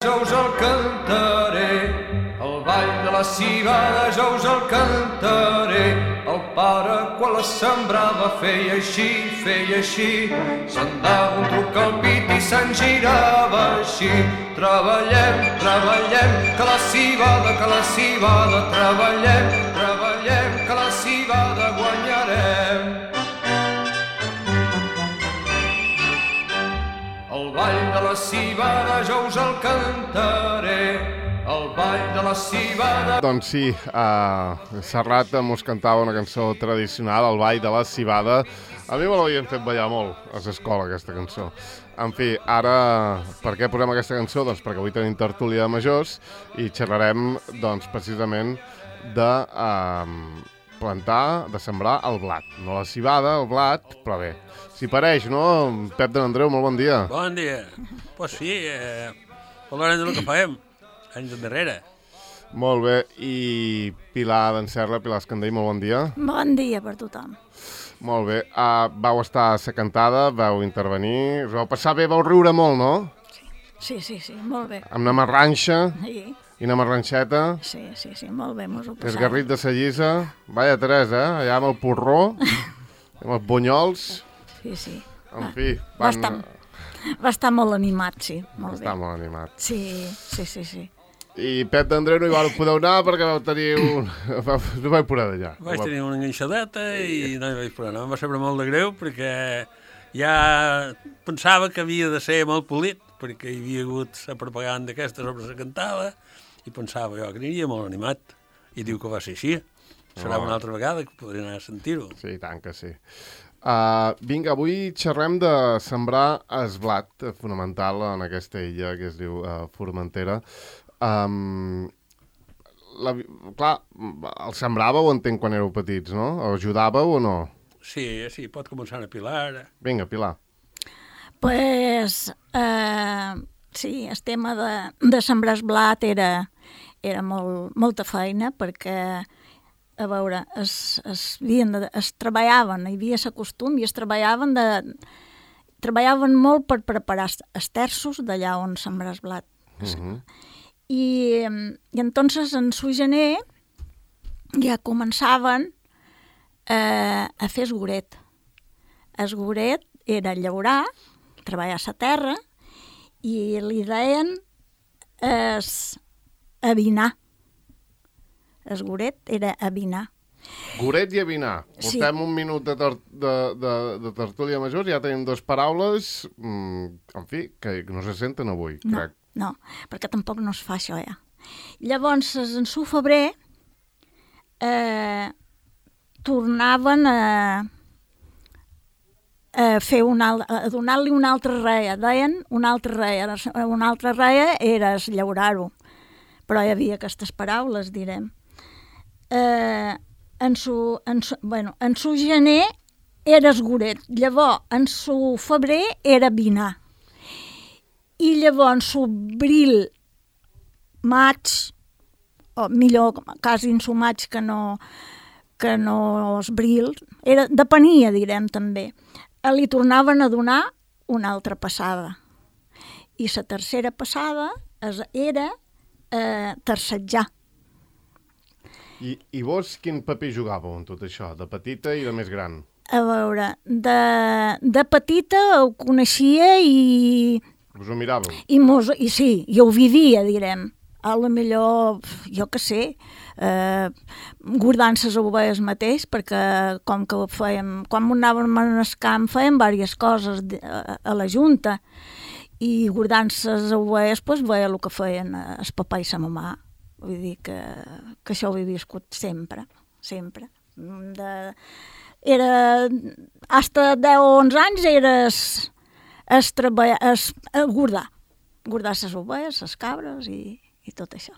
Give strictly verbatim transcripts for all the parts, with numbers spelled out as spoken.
Jo us el cantaré, el ball de la civada jo us el cantaré. El pare quan la sembrava feia així, feia així, se'n dava un truc al pit i se'n girava així. Treballem, treballem, que la civada, que la civada, treballem, treballem, que la civada guanyarem. El ball de la civada jo us el cantaré, el ball de la civada... Doncs sí, uh, Serrat mos cantava una cançó tradicional, el ball de la civada. A mi me l'havien fet ballar molt a l'escola, aquesta cançó. En fi, ara, per què posem aquesta cançó? Doncs perquè avui tenim tertúlia de majors i xerrarem, doncs, precisament de uh, plantar, de sembrar el blat. No la civada, el blat, però bé. S'hi pareix, no? Pep de n'Andreu, molt bon dia. Bon dia. Pues sí, eh, parlarem del que fem, anys endarrere. Molt bé. I Pilar d'en Serra, Pilar Escandell, molt bon dia. Bon dia per tothom. Molt bé. Uh, vau estar a la cantada, vau intervenir, us vau passar bé, vau riure molt, no? Sí, sí, sí, molt bé. Amb una marranxa Sí, i una marranxeta. sí, sí, sí molt bé, mos ho passàvem. Esgarrit de sa llisa. Vaya tres, eh? Allà amb el porró, amb els bunyols. Sí, sí. En fi, Va van... estar, va estar molt animat, sí, molt Està bé. molt animat. Sí, sí, sí, sí. I Pep d'Andreu no hi vau poder anar perquè vau tenir un... no vaig poder d'allà. Vaig tenir una enganxadeta i no hi vaig poder anar. Em va saber molt de greu perquè ja pensava que havia de ser molt polit, perquè hi havia hagut la propaganda aquesta sobre la cantada i pensava jo que aniria molt animat. I diu que va ser així. Serà Oh. una altra vegada que podré anar a sentir-ho. Sí, tant que sí. Uh, vinga, avui xerrem de sembrar el blat, fonamental en aquesta illa que es diu uh, Formentera. Um, la, clar, el sembràveu, entenc, quan éreu petits, no? O ajudàveu o no? Sí, sí, pot començar a pilar. Vinga, Pilar. Pues, eh, sí, el tema de, de sembrar el blat era, era molt, molta feina perquè, a veure, es, es, havien de, es treballaven, hi havia el costum i es treballaven de... Treballaven molt per preparar els terços d'allà on sembrar el blat. Uh-huh. I, i entonces en su gener ja començaven eh, a fer esgoret. Esgoret era llaurar, treballar a la terra, i li deien es, avinar. Esgoret era avinar. Goret i avinar. Sí. Portem un minut de, ter de, de, de tertúlia major, ja tenim dues paraules, mm, en fi, que no se senten avui, No, crec. no, perquè tampoc no es fa això, ja. Llavors, en su febrer, eh, tornaven a, a fer una, a donar-li una altra reia. Deien una altra reia. Una altra reia era llaurar-ho. Però hi havia aquestes paraules, direm. Eh, en, su, en, su, bueno, en su gener era esgoret. Llavors, en su febrer era vinar. I llavors, en su bril, maig, o millor, quasi en su maig que no, que no es bril, era, depenia, direm, també. Li tornaven a donar una altra passada. I la tercera passada era eh, terçatjar. I, I vos quin paper jugàveu en tot això, de petita i de més gran? A veure, de, de petita ho coneixia i... Us ho miràveu? I, mos, i sí, jo ho vivia, direm. A lo millor, jo què sé, eh, guardant les ovelles mateix, perquè com que fèiem, quan anàvem al camp fèiem diverses coses de, a, a la junta, i guardant les ovelles pues, veia el que feien el papà i la mamà. Vull dir que, que això ho he viscut sempre, sempre. De, era, hasta deu o onze anys era es, es treballar, es, es guardar, guardar les ovelles, les cabres i, i tot això.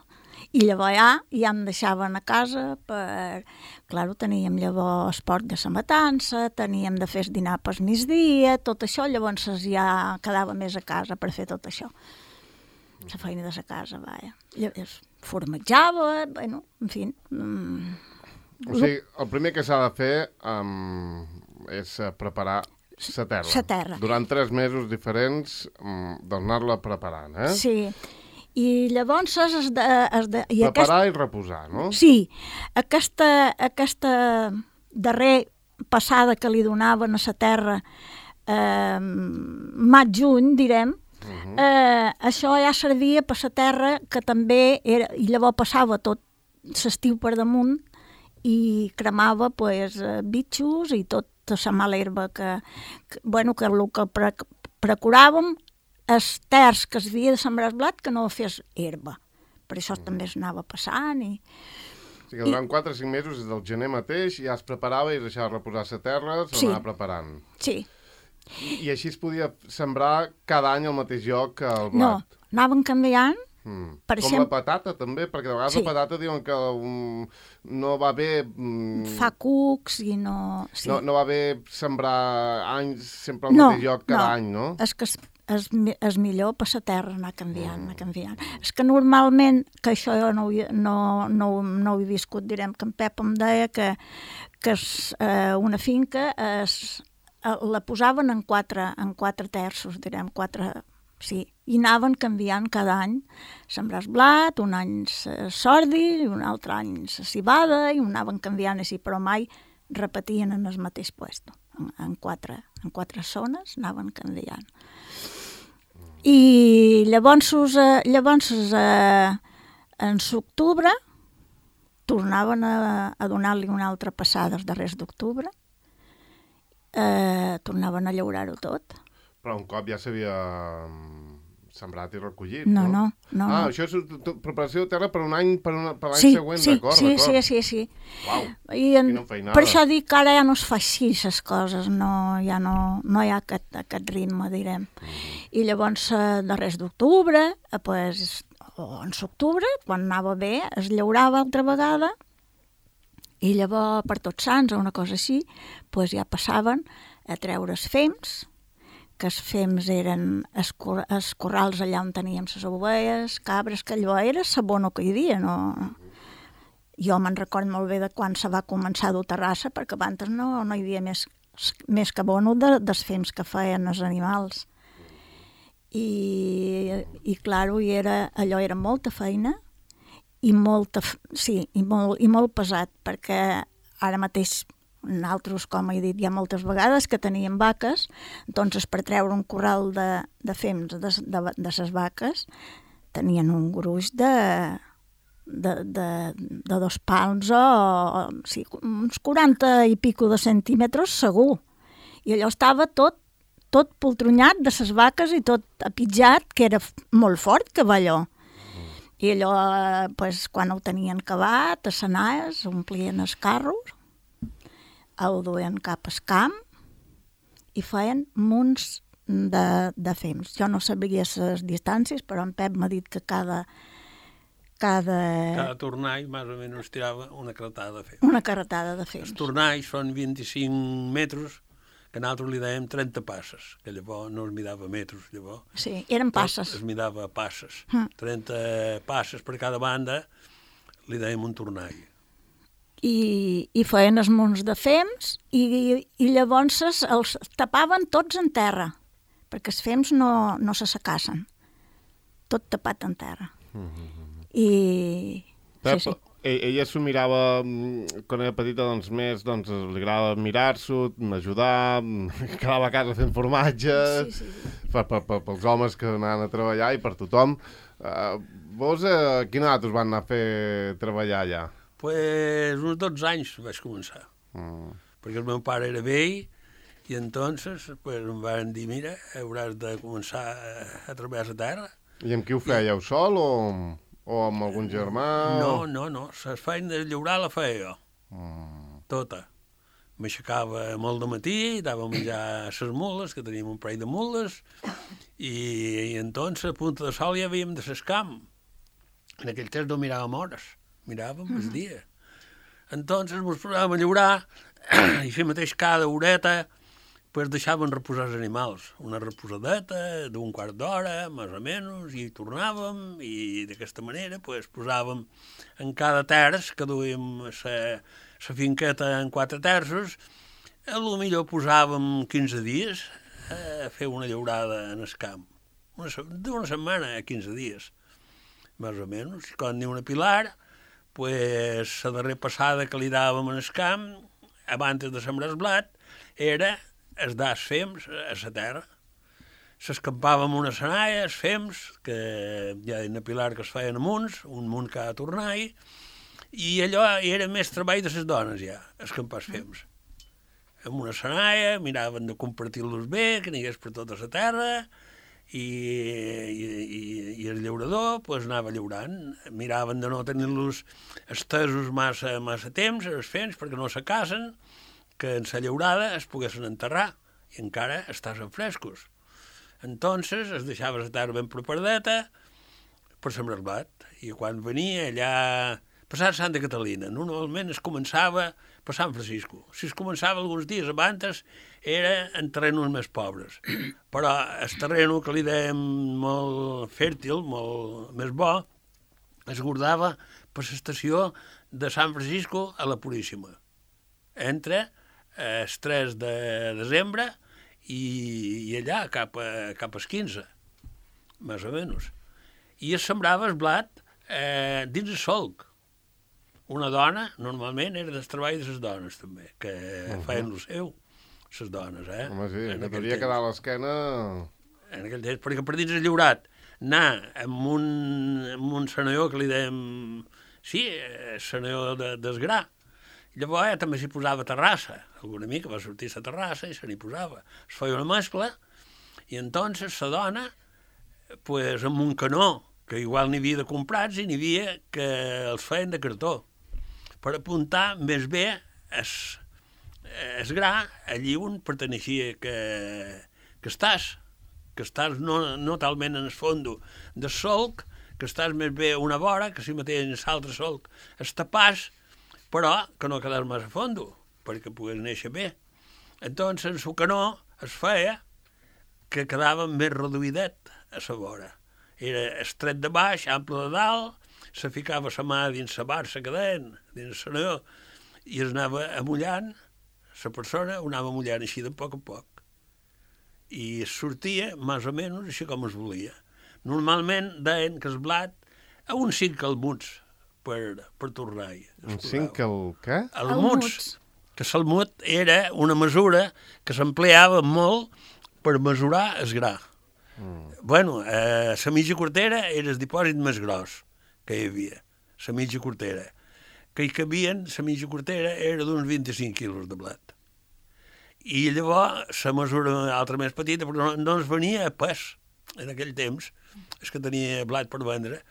I llavors ja, ja em deixaven a casa per... Clar, teníem llavors esport de la matança, teníem de fer dinar per migdia, tot això, llavors ja quedava més a casa per fer tot això. La feina de la casa, vaja. Llavors formatjava, bueno, en fi... Mm, O sigui, el primer que s'ha de fer um, és preparar la terra. La terra. Durant tres mesos diferents, um, d'anar-la preparant, eh? Sí. I llavors es de... Es de i Preparar aquest... i reposar, no? Sí, aquesta, aquesta darrer passada que li donaven a la terra, eh, maig-juny, direm, uh-huh. eh, això ja servia per la terra, que també era, i llavors passava tot l'estiu per damunt i cremava pues, bitxos i tota la mala herba que, que, bueno, que el que pre, procuràvem els terç que es havia de sembrar el blat que no fes herba. Per això mm. també es anava passant. I, o sigui que durant quatre o cinc mesos, des del gener mateix, ja es preparava i es deixava reposar la terra, s'anava sí. preparant. Sí. I, I així es podia sembrar cada any al mateix lloc el blat? No, anaven canviant. Mm. Per Com exemple, la patata, també, perquè de vegades sí. la patata diuen que um, no va bé... Um, fa cucs i no... Sí. No, no va bé sembrar anys sempre al no, mateix lloc cada no. any, no? És que és, és, és millor per la terra anar canviant, mm. anar canviant. És que normalment, que això jo no, no, no, no ho he viscut, direm que en Pep em deia que, que és, eh, una finca es, la posaven en quatre, en quatre terços, direm, quatre... Sí, i anaven canviant cada any, sembrar blat, un any sordi, un altre any cibada, i ho anaven canviant així, però mai repetien en el mateix lloc. En, en, quatre, en quatre zones anaven canviant. I llavors, eh, llavors eh, en l'octubre tornaven a, a donar-li una altra passada els darrers d'octubre, eh, tornaven a llaurar-ho tot. Però un cop ja s'havia sembrat i recollit, no? No, no, no. Ah, no. això és preparació de terra per un any, per, una, per l'any sí, següent, sí, d'acord, sí, d'acord. sí, sí, sí. Uau, I en, quina feinada. per això dic que ara ja no es fa així, les coses, no, ja no, no hi ha aquest, aquest ritme, direm. Mm. I llavors, eh, darrers d'octubre, eh, pues, o en l'octubre, quan anava bé, es llaurava altra vegada, i llavors, per Tots Sants o una cosa així, pues, ja passaven a treure els fems, que els fems eren els, cor els corrals allà on teníem les ovelles, cabres, que allò era l'abono que hi havia. No? Jo me'n record molt bé de quan se va començar a dur terrassa, perquè abans no, no hi havia més, més que abono de, dels fems que feien els animals. I, i clar, i era, allò era molta feina i, molta, sí, i, molt, i molt pesat, perquè ara mateix nosaltres, com he dit ja moltes vegades, que teníem vaques, doncs per treure un corral de, de fems de, de, de ses vaques tenien un gruix de, de, de, de dos palms o, o sí, uns quaranta i pico de centímetres segur. I allò estava tot, tot poltronyat de ses vaques i tot apitjat, que era molt fort, que va allò. I allò, pues, quan ho tenien acabat, a Senaes, omplien els carros, ho duien cap al camp i feien munts de, de fems. Jo no sabia les distàncies, però en Pep m'ha dit que cada... Cada, cada tornall, més o menys, tirava una carretada de fems. Una carretada de fems. Els tornalls són vint-i-cinc metres, que nosaltres li dèiem trenta passes, que llavors no es midava metres, llavors. Sí, eren passes. Es midava passes. Mm. trenta passes per cada banda li dèiem un tornall. I, i feien els munts de fems i, i llavors els tapaven tots en terra, perquè els fems no, no se secassen. Tot tapat en terra. Mm-hmm. I... Pep, sí, sí. Ella s'ho mirava, quan era petita, doncs més, doncs li agradava mirar-s'ho, ajudar, quedava a casa fent formatge, sí, sí, sí. Per, per, per, pels homes que anaven a treballar i per tothom. Uh, vos, uh, quina edat us van anar a fer treballar allà? Pues uns dotze anys vaig començar, mm. perquè el meu pare era vell i entonces pues, em van dir, mira, hauràs de començar a, a treballar a la terra. I amb qui ho fèieu, I... sol o, o amb algun germà? No, no, no, la feina de llaurar la feia jo, mm. tota. M'aixecava molt de matí, dava a menjar a les mules, que teníem un parell de mules, i, i entonces a punta de sol ja havíem de s'escamp. En aquell temps no miràvem hores. Miràvem el dia. Entonces ens posàvem a llaurar i així mateix cada horeta pues, deixaven reposar els animals. Una reposadeta d'un quart d'hora, més o menys, i tornàvem i d'aquesta manera pues, posàvem en cada terç, que duíem la finqueta en quatre terços, a lo millor posàvem quinze dies a fer una llaurada en el camp. D'una setmana a quinze dies. més o menys. I quan diu una Pilar, pues, la darrera passada que li dàvem en el camp, abans de sembrar el blat, era els das fems a la terra. S'escampàvem una senaia, els fems, que hi ha una Pilar que es feien amunts, un munt que ha de tornar, i allò era més treball de les dones, ja, escampar els fems. Amb una senaia, miraven de compartir-los bé, que n'hi hagués per tota la terra, i, i, i, i el llaurador pues, anava llaurant. Miraven de no tenir-los estesos massa, massa temps, els fems, perquè no se casen, que en la llaurada es poguessin enterrar, i encara estaven frescos. Entonces es deixava la terra ben preparadeta per sembrar el blat. I quan venia allà, passar Santa Catalina, normalment es començava per Sant Francisco. Si es començava alguns dies abans, era en terrenos més pobres. Però el terreno que li dèiem molt fèrtil, molt més bo, es guardava per l'estació de Sant Francisco a la Puríssima, entre el tres de desembre i, i allà cap, a, cap als quinze, més o menys. I es sembrava el blat eh, dins el solc. Una dona, normalment, era del treball de les dones, també, que uh -huh. feien el seu, les dones, eh? Home, sí, en que t'hauria quedat a l'esquena... En aquell temps, perquè per dins el llaurat, anar amb un, amb un senador que li dèiem... Sí, senador de, d'esgrà. Llavors ja també s'hi posava terrassa. Alguna mica va sortir la terrassa i se n'hi posava. Es feia una mescla i entonces la dona, pues, amb un canó, que igual n'hi havia de comprats i n'hi havia que els feien de cartó, per apuntar més bé es, es gra allí on perteneixia que, que estàs, que estàs no, no talment en el fondo del solc, que estàs més bé a una vora, que si mateix l'altre solc es tapàs, però que no quedàs més a fondo, perquè pogués néixer bé. Entonces, en el canó es feia que quedava més reduïdet a la vora. Era estret de baix, ample de dalt, se ficava la mà dins la barça que deien, dins el senador, i es anava amullant, la persona ho anava amullant així de poc a poc. I sortia, més o menys, així com es volia. Normalment deien que el blat a uns cinc calmuts per, per tornar-hi. Un cinc el què? Almuts. Que l'almut era una mesura que s'empleava molt per mesurar el gra. Mm. Bueno, eh, la mitja quartera era el dipòsit més gros que hi havia, la mitja quartera. Que hi cabien, la mitja quartera era d'uns vint-i-cinc quilos de blat. I llavors la mesura altra més petita, però no, no es venia a pes en aquell temps, és que tenia blat per vendre,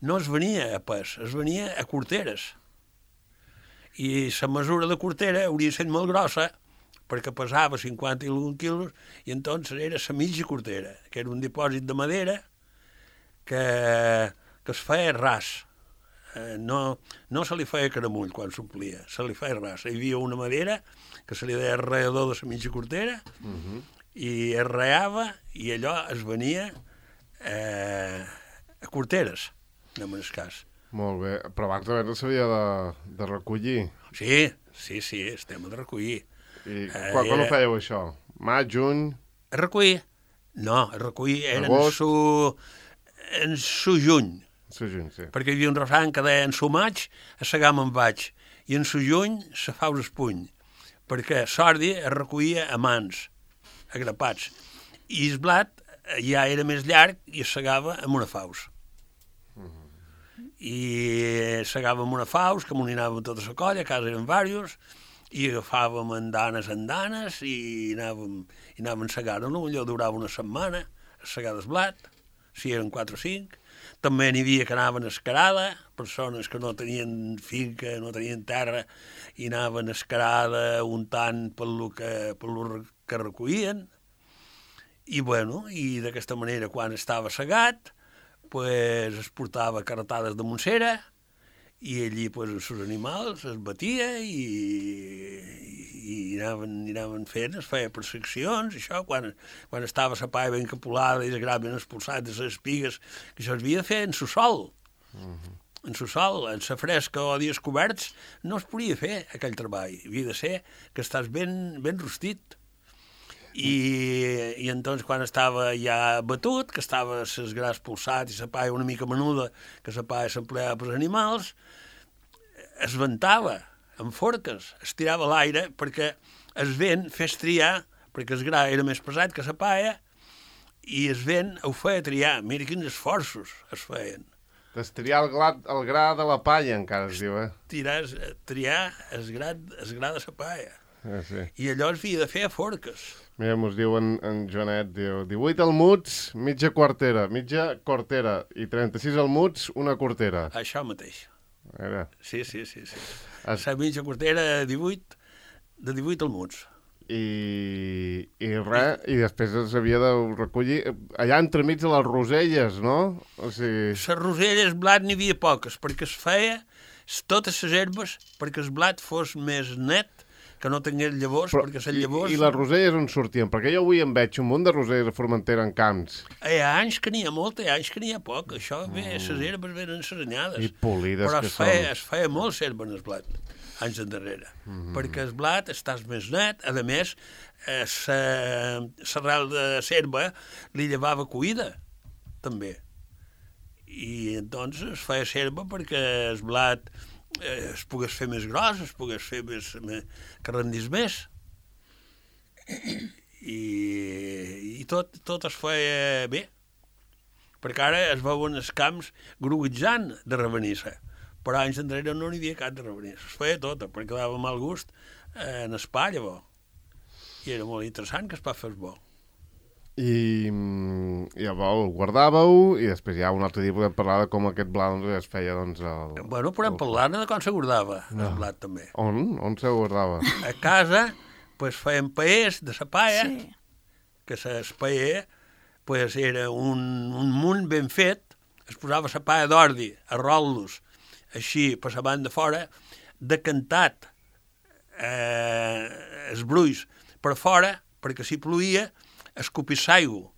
no es venia a pes, es venia a quarteres. I la mesura de quartera hauria estat molt grossa, perquè pesava cinquanta i algun quilos, i entonces era la mitja quartera, que era un dipòsit de madera que, que es feia ras. Eh, no, no se li feia caramull quan s'omplia, se li feia ras. Hi havia una madera que se li deia arreador de la mitja quartera, uh -huh. i es reava, i allò es venia eh, a quarteres, en el cas. Molt bé, però abans de no s'havia de, de recollir. Sí, sí, sí, el tema de recollir. I eh, quan, quan ho fèieu, això? Maig, juny? Recollir? No, recollir era en su, en su juny. Su juny, sí. Perquè hi havia un refrany que deia en su maig a segar me'n vaig, i en su juny se faus el puny, perquè l'ordi es recollia a mans, agrapats, i el blat ja era més llarg i es segava amb una faus. I segàvem una faus, que m'uninàvem tota la colla, a casa eren diversos, i agafàvem andanes andanes i anàvem, i anàvem segant-lo, allò durava una setmana, a segar el blat, si eren quatre o cinc. També n'hi havia que anaven a escarada, persones que no tenien finca, no tenien terra, i anaven a escarada untant per lo que, per lo que recollien. I, bueno, i d'aquesta manera, quan estava segat, pues, es portava carretades de Montsera i allí pues, els seus animals es batia i, i, i, anaven, i anaven fent, es feia per seccions, això, quan, quan estava la paia ben capulada i el gra ben expulsat de les espigues, que això es havia de fer en subsol. Uh-huh. En subsol, en la fresca o dies coberts, no es podia fer aquell treball. Havia de ser que estàs ben, ben rostit. I, i entonces quan estava ja batut, que estava ses gras pulsat i la palla una mica menuda, que la palla s'empleava pels animals, es ventava amb forques, es tirava a l'aire perquè el vent fes triar, perquè el gra era més pesat que la palla, i el vent ho feia triar. Mira quins esforços es feien. Destriar el, glat, el gra de la palla, encara es diu, eh? Tirar, triar el gra, el gra de la palla. Ah, sí. I allò es havia de fer a forques. Mira, mos diu en, en Joanet, diu, divuit almuds, mitja quartera, mitja quartera, i trenta-sis almuds, una quartera. Això mateix. Era. Sí, sí, sí. sí. Es... La mitja quartera de divuit, de divuit almuds. I, i res, i després s'havia de recollir allà entremig de les roselles, no? O sigui... Les roselles, blat, n'hi havia poques, perquè es feia totes les herbes perquè el blat fos més net, que no tingués llavors, però, perquè les llavors... I, I les roselles on sortien? Perquè jo avui en veig un munt de roselles a Formentera en camps. Hi ha anys que n'hi ha molta, hi ha anys que n'hi ha poc. Això bé, les mm. herbes venen seranyades. I polides però que es feia, són. es feia molt serva en el blat, anys endarrere. Mm. Perquè el blat estàs més net. A més, l'arrel de serva li llevava cuida, també. I doncs es feia serva perquè el blat eh, es pogués fer més gros, es pogués fer més, més que rendís més. I, i tot, tot es feia bé. Perquè ara es veuen els camps gruguitzant de ravenissa. Però anys enrere no n'hi havia cap de ravenissa. Es feia tota, perquè dava mal gust eh, en el pa, llavors. I era molt interessant que es va fer el bo. I llavors el guardàveu i després ja un altre dia podem parlar de com aquest blat doncs, es feia doncs, el... Bueno, podem el... parlar de com se guardava no. el blat també. On? On se guardava? A casa pues, feien paers de sa palla, Sí. que el paer pues, era un, un munt ben fet, es posava sa palla d'ordi a rol·los així per la banda fora, decantat eh, els brulls per fora, perquè si ploïa escopís l'aigua.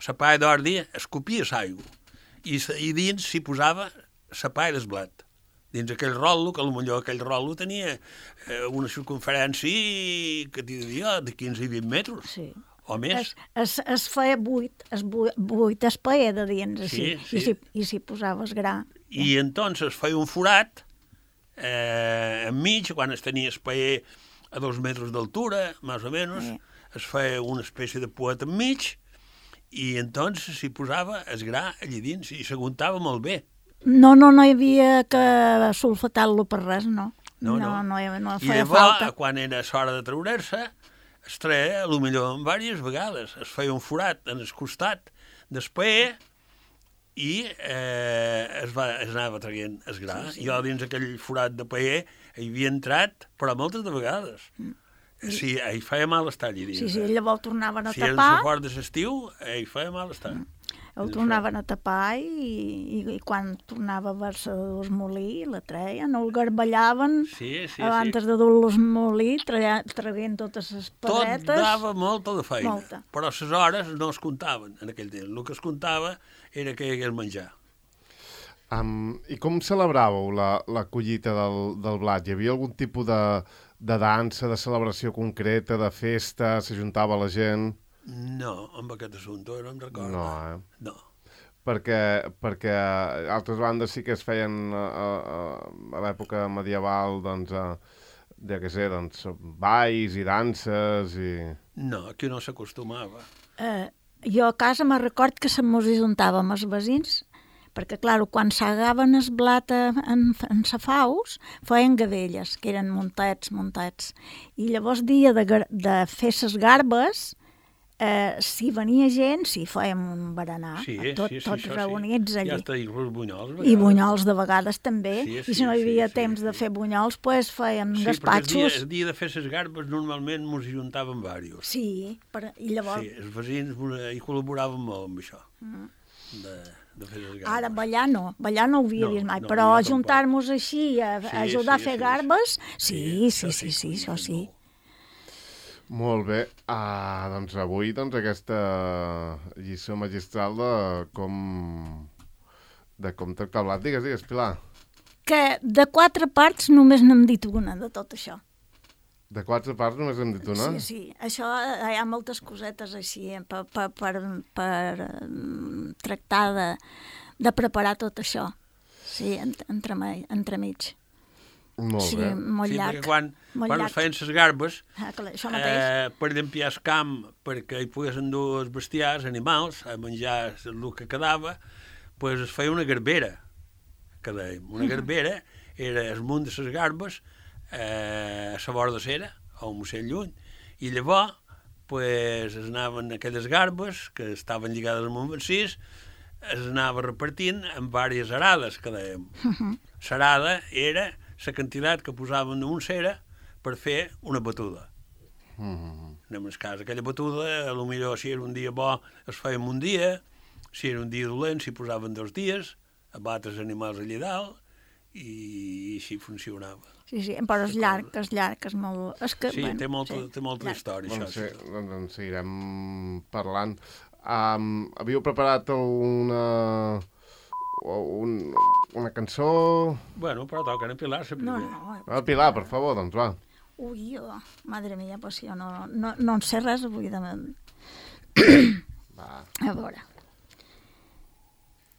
La palla d'ordi escopia l'aigua. I, I dins s'hi posava la palla del blat. Dins aquell rol·lo, que potser aquell rol·lo tenia eh, una circunferència que t'hi diria de quinze i vint metres. Sí. O més. Es, es, es feia buit, es buit, buit es paia de dins, així, Sí, sí. i si, i si posaves gra. I entonces es feia un forat eh, enmig, quan es tenia el paer a dos metres d'altura, més o menys, Sí. es feia una espècie de poet enmig i entonces s'hi posava el gra allà dins i s'aguantava molt bé. No, no, no hi havia que sulfatar-lo per res, no. No, no, no. no, hi- no I feia llavors, falta. quan era l'hora de treure'l-se, es treia, potser diverses vegades. Es feia un forat en el costat del paer i eh, es, va, es anava traient el gra. Sí, sí. Jo dins aquell forat de paer hi havia entrat, però moltes de vegades. Mm. Sí, hi feia mal estar allà dins. Sí, sí, llavors el tornaven a Si era tapar, el fort de l'estiu, hi feia mal estar. el tornaven a tapar i, i, i quan tornava a haver-se de dur molí, la treien, el garballaven, Sí, sí, abans sí. de dur-los molí, traient totes les Tot pedretes. dava molta de feina, Molta. però les hores no es comptaven en aquell temps. El que es comptava era que hi hagués menjar. Um, I com celebràveu la, la collita del, del blat? Hi havia algun tipus de, de dansa, de celebració concreta, de festa, s'ajuntava la gent? No, amb aquest assumpte no em recordo. No, eh? No. Perquè, perquè altres bandes sí que es feien a, a, a l'època medieval, doncs, a, ja què sé, doncs, balls i danses i... No, aquí no s'acostumava. Eh, jo a casa me record que se mos ajuntava amb els veïns, perquè, clar, quan s'agaven el blat en, en safaus, feien gadelles, que eren muntets, muntets. I llavors, dia de, gar- de fer ses garbes, eh, si venia gent, si fèiem un berenar, Sí, tot, sí, sí, tots això reunits sí. allí. Ja està, inclús bunyols. a I vegades. bunyols de vegades també, Sí, i sí, si no hi havia sí, sí, temps de sí. fer bunyols, pues fèiem Sí, perquè el dia, gaspatxos. el dia de fer les garbes normalment mos hi juntàvem diversos. Sí, per, i llavors... Sí, els veïns mos- hi col·laboraven molt amb això, Mm. de, de fer les garbes. Ara, ballar no, ballar no ho havia No, vist mai, no, però jo tampoc. ajuntar-nos així, a, a Sí, ajudar sí, a fer sí, garbes, sí, Sí, sí, això sí, sí, sí, això sí. molt. Molt bé. Ah, doncs avui doncs, aquesta lliçó magistral de com, de com tractar el blat. Digues, digues, Pilar. Que de quatre parts només n'hem dit una de tot això. De quatre parts només hem dit una? Sí, sí. Això eh, hi ha moltes cosetes així eh, per, per, per, per um, tractar de, de preparar tot això. Sí, entre, entremig. Molt sí, bé. molt Sí, llarg. perquè quan, molt quan llarg. es feien les garbes, Ah, clar, això mateix. eh, per llampiar el camp, perquè hi poguessin dur els bestiars, animals, a menjar el que quedava, pues es feia una garbera, que dèiem. Una garbera era el munt de les garbes eh, a la vora de cera, o un ocell lluny, i llavors pues, es anaven aquelles garbes que estaven lligades amb un vacís, es anava repartint en diverses arades, que dèiem. L'arada era la quantitat que posaven en un cera per fer una batuda. Mm. En el cas, aquella batuda, potser si era un dia bo es feia un dia, si era un dia dolent s'hi posaven dos dies, a batre els animals allà dalt, i així funcionava. Sí, sí, però és llarg, és llarg, és molt... És que, Sí, bueno, té molta, sí, té molta llarg. història, Doncs, això. sí, doncs en seguirem parlant. Um, havíeu preparat una, un, una cançó... Bueno, però toca apilar-se No, primer. no, Ah, Pilar, per favor, doncs va. ui, oh, madre mia, pues jo no, no, no en sé res avui de... Va. A veure.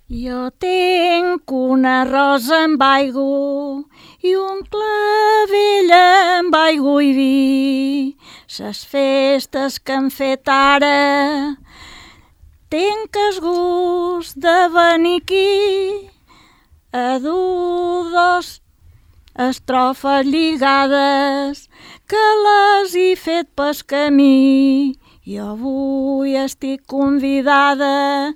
Jo tinc una rosa amb aigua i un clavell amb aigua i vi. Ses festes que han fet ara tinc el gust de venir aquí a dur dos estrofes lligades que les he fet pel camí. Jo avui estic convidada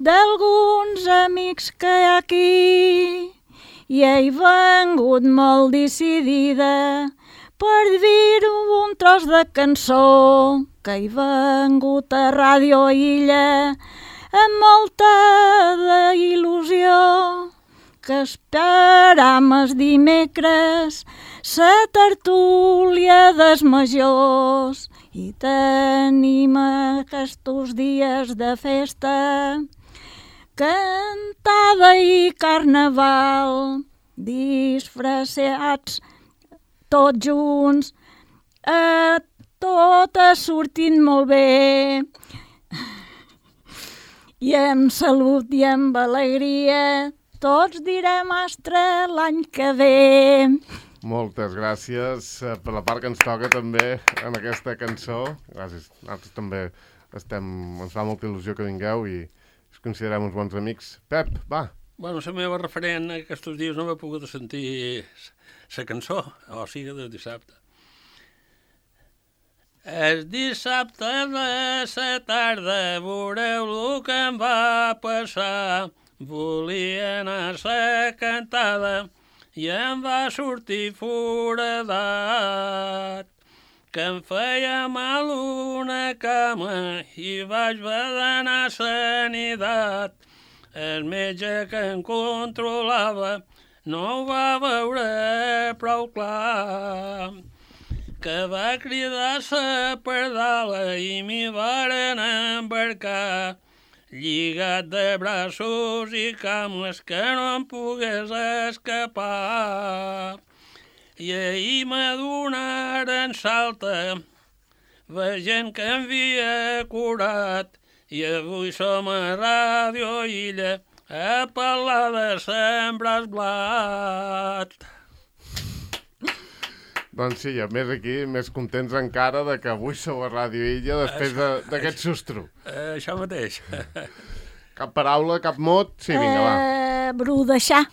d'alguns amics que hi ha aquí i he vengut molt decidida per dir un tros de cançó que he vengut a Ràdio Illa amb molta il·lusió que esperam els dimecres la tertúlia dels majors i tenim aquests dies de festa, cantada i carnaval, disfressats tots junts, eh, tot ha sortit molt bé. I amb salut i amb alegria tots direm astre l'any que ve. Moltes gràcies eh, per la part que ens toca també en aquesta cançó. Gràcies. Nosaltres també estem, ens fa molta il·lusió que vingueu i us considerem uns bons amics. Pep, va. Bueno, la meva referent aquests dies no m'he pogut sentir la cançó, o sigui, del dissabte. El dissabte de la tarda veureu el que em va passar. Volia anar a la cantada i em va sortir foradat, que em feia mal una cama i vaig haver d'anar a sanitat. El metge que em controlava no ho va veure prou clar, que va cridar la pardala i m'hi varen embarcar, lligat de braços i cames que no em pogués escapar. I ahir m'adonaren salta, veient que em havia curat, i avui som a Ràdio Illa a parlar de sembrar blat. Doncs sí, a més aquí, més contents encara de que avui sou a Ràdio Illa després de- d'aquest sustro. Eh, això mateix. Cap paraula, cap mot? Sí, vinga, va. Eh, brudeixar.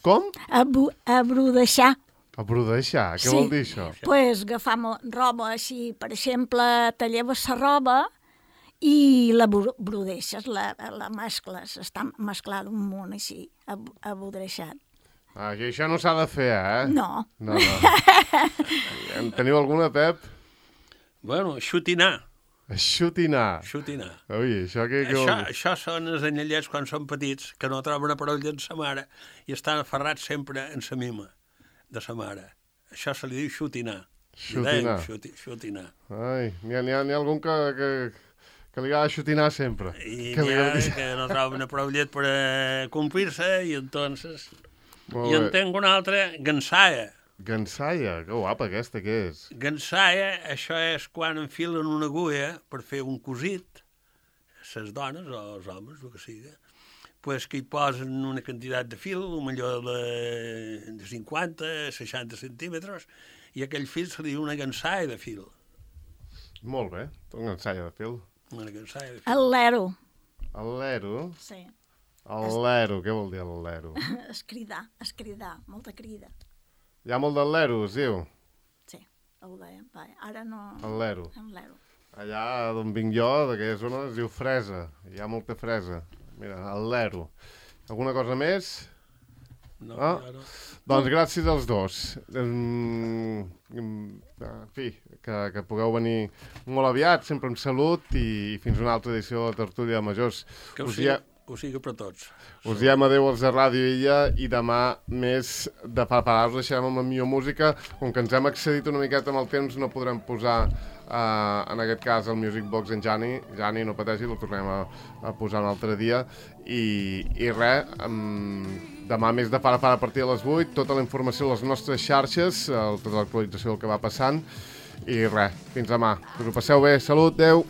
Com? A, bu, a brudeixar. A brudeixar, què Sí. vol dir això? Pues agafar mo- roba així, per exemple, te lleves la roba i la bru- brudeixes, la, la mescles, està mesclada un munt així, ab- abudreixat. Ah, i això no s'ha de fer, eh? No. No, no. En teniu alguna, Pep? Bueno, xutinar, Xutinar. xutinar. Ui, això què... què Això, vol dir? això són els anyellets quan són petits, que no troben a parella en sa mare i estan aferrats sempre en sa mima de sa mare. Això se li diu xutinar. Li deim Xutinar. Xuti, xutinar. Ai, n'hi ha, n'hi ha, n'hi ha algun que, que, que li agrada xutinar sempre. I Que n'hi li ha agrada- que no troben a parella per eh, complir-se i entonces... Molt I en bé. tenc una altra, gansaia. Gansaia, que guapa aquesta, què és? Gansaia, això és quan enfilen una agulla per fer un cosit, les dones o els homes, el que sigui, pues que hi posen una quantitat de fil, millor de, de cinquanta, seixanta centímetres, i aquell fil se li diu una gansaia de fil. Molt bé, una gansaia de fil. Una gansaia de fil. El lero. El lero? Sí. El lero, què vol dir el lero? Escridar, escridar, molta crida. Hi ha molt del lero, es diu? Sí, ho dèiem. Va, ara no... El lero. El lero. Allà d'on vinc jo, d'aquella zona, es diu fresa. Hi ha molta fresa. Mira, el lero. Alguna cosa més? No, Ah, no. doncs gràcies als dos. Mm, en fi, que, que pugueu venir molt aviat, sempre amb salut i fins una altra edició de la Tertúlia de Majors. Que ho Us sigui, dia- ho sigui per tots. Us diem adeu als de Ràdio Illa i demà més de preparar. Us deixarem amb la millor música. Com que ens hem excedit una miqueta amb el temps, no podrem posar, uh, en aquest cas, el Music Box en Jani. Jani, no pateixi, el tornem a, a posar un altre dia. I, i res, um, demà més de para para a partir de les vuit, tota la informació a les nostres xarxes, el, tota l'actualització del que va passant. I res, fins demà. Que us ho passeu bé. Salut, adeu.